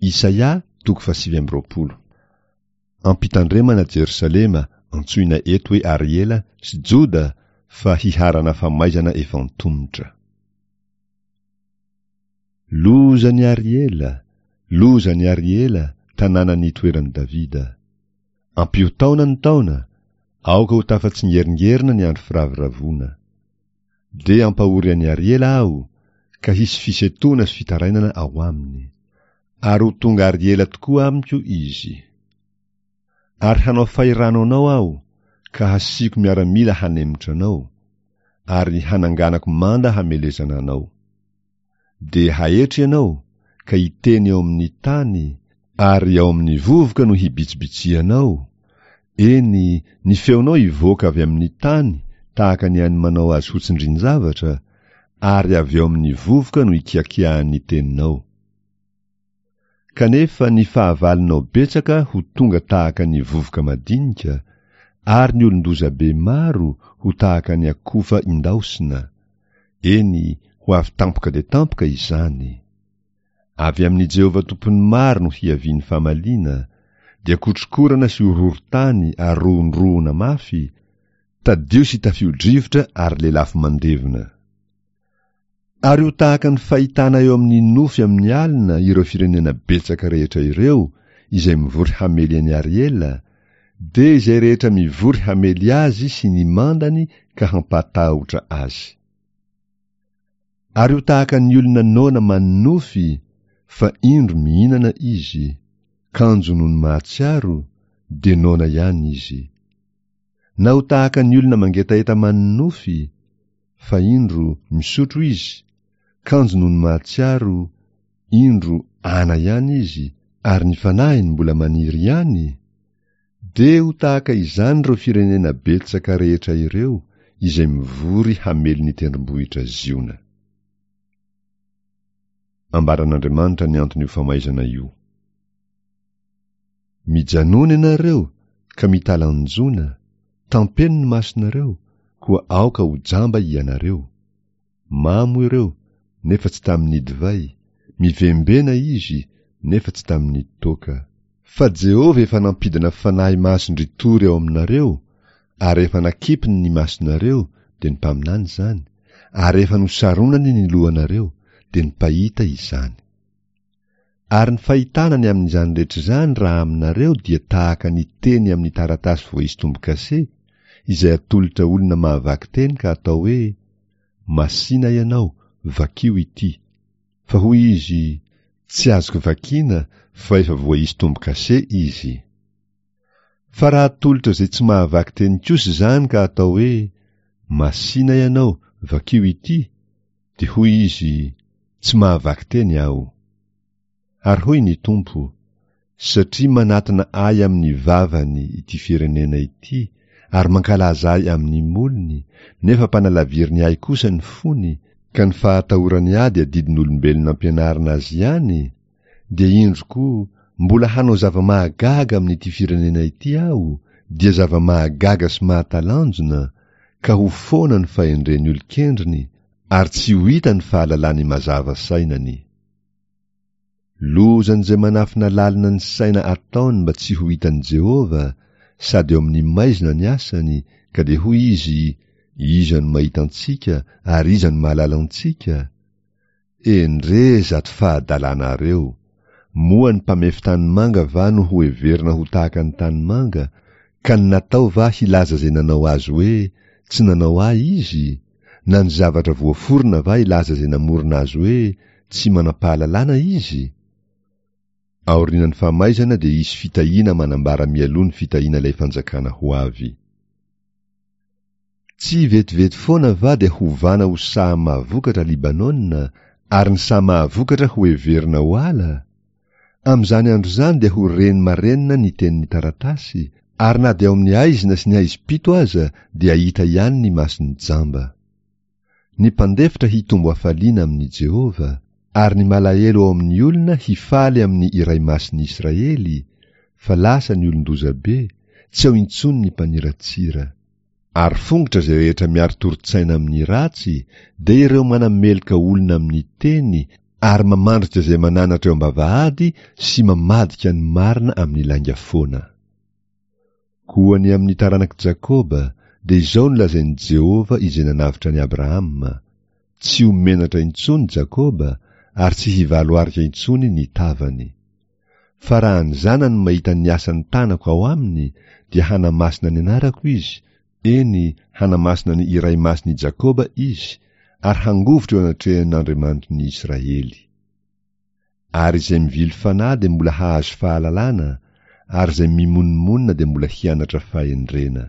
Isaia toko fahasivy amby 20. Ampitandremana Jerosalema, antsoina eto hoe Ariela, sy Joda fa hiharana famaizana efa antomotra. Lozan'i Ariela, lozan'i Ariela, tanàna nitoeran'i Davida. Ampio taona ny taona, aoka ho tafatsingeringerina ny andro firavoravoana. Dia hampahory an'i Ariela aho, ka hisy fisentoana sy fitarainana ao aminy. Ary ho tonga Ariela tokoa amiko izy. Ary hanao fahirano anao aho, ka hasiako miaramila hanemotra anao, ary hananganako manda hamelezana anao. Dia haetry ianao, ka hiteny eo amin'ny tany, ary ao amin'ny vovoka no hibitsibitsihanao, eny, ny feonao hivoaka avy amin'ny tany tahaka ny an'ny manao azy ho tsindrin-javatra, ary avy ao amin'ny vovoka no hikiakiahan'ny teninao. Kanefa ny fahavalonao betsaka ho tonga tahaka ny vovoka madinika, ary ny olon-doza be maro ho tahaka ny akofa indaosina, eny, ho avy tampoka dia tampoka izany. Avy amin'i Jehovah Tompon'ny maro no hiavian'ny famaliana, dia kotrokorana sy horohorontany ary rohondrohona mafy, tadio sy tafio-drivotra ary lelafo mandevona. Ary ho tahaka ny fahitana eo amin'ny nofy amin'ny alina ireo firenena betsaka rehetra ireo izay mivory hamely an'i Ariela, dia izay rehetra mivory hamely azy sy ny mandany ka hampatahotra azy. Ary ho tahaka ny olona noana manonofy, fa indro mihinana izy, kanjo nony mahatsiaro, dia noana ihany izy. Na ho tahaka ny olona mangetaheta manonofy, fa indro misotro izy, kanjo nony mahatsiaro, indro ana ihany izy, ary ny fanahiny mbola maniry ihany, dia ho tahaka izany ireo firenena betsaka rehetra ireo izay mivory hamely ny tendrombohitra Ziona. Ambaran'Andriamanitra ny anton'io famaizana io. Mijanona ianareo ka mitalanjona, tampeno ny masonareo, koa aoka ho jamba ianareo. Mamo ireo, nefa tsy tamin'ny divay, mivembena izy, nefa tsy tamin'ny toaka. Fa Jehovah efa nampidina fanahy mason-dritory ao aminareo, ary efa nakipiny ny masonareo, dia ny mpaminany izany, ary efa nosaronany ny lohanareo, dia ny mpahita izany. Ary ny fahitana ny amin'izany rehetra izany raha aminareo dia tahaka ny teny amin'ny taratasy voaisy tombo-kase, izay atolotra olona mahavaky teny ka atao hoe, Masìna ianao, vakio ity. Fa hoy izy, Tsy azoko vakiana fa efa voaisy tombo-kase izy. Fa raha atolotra izay tsy mahavaky teny kosa izany ka atao hoe, Masìna ianao, vakio ity, Dia hoy izy, Tsy mahavaky teny aho. Ary hoy ny Tompo, Satria manatona ahy amin'ny vavany ity firenena ity ary mankalaza ahy amin'ny molony, nefa mpanalaviriny ahy kosa ny fony, ka ny fahatahorany ahy dia didin'olombelona ampianarina azy ihany, dia indro koa, mbola hanao zava-mahagaga amin'ity firenena ity aho, dia zava-mahagaga sy mahatalanjona, ka ho foana ny fahendren'ny olon-kendriny ary tsy ho hita ny fahalalany mazava sainany. Lozan'izay manafina lalina ny saina ataony mba tsy ho hitan'i Jehovah, sady eo amin'ny maizina ny asany, ka dia hoy izy, Iza no mahita antsika ary iza no mahalala antsika? Endrey izato fahadalanareo! Moa ny mpamefy tanimanga va no ho heverina ho tahaka ny tanimanga, ka ny natao va hilaza izay nanao azy hoe, Tsy nanao ahy izy? Na ny zavatra voaforona va hilaza izay namorona azy hoe, Tsy manam-pahalalana izy? Aorianan'ny famaizana dia hisy fitahiana manambara mialoha ny fitahiana ilay fanjakana ho avy. Tsy vetivety foana va dia hovana ho saha mahavokatra Libanona, ary ny saha mahavokatra hoheverina ho ala? Amin'izany andro izany dia ho reny marenina ny tenin'ny taratasy, ary na dia ao amin'ny haizina sy ny haizim-pito aza dia hahita ihany ny mason'ny jamba. Ny mpandefitra hitombo hafaliana amin'i Jehovah, ary ny malahelo ao amin'ny olona hifaly amin'ny Iray Masin'ny Israely, fa lasa ny olon-dozabe, tsy ao intsony ny mpaniratsira. Ary fongotra izay rehetra miari-torin-tsaina amin'ny ratsy, dia ireo manameloka olona amin'ny teny ary mamandrika izay mananatra eo am-bavahady sy mamadika ny marina amin'ny lainga foana. Koa ny amin'ny taranak'i Jakoba, dia izao no lazain'i Jehovah izay nanavotra an'i Abrahama, Tsy ho menatra intsony Jakoba, ary tsy hivaloarika intsony ny tavany. Fa raha ny zanany mahita ny asan'ny tanako ao aminy, dia hanamasina ny anarako izy, eny, hanamasina ny Iray Masin'i Jakoba izy, ary hangovitra eo anatrehan'Andriamanitry ny Israely. Ary izay mivily fanahy dia mbola hahazo fahalalana, ary izay mimonomonona dia mbola hianatra fahendrena.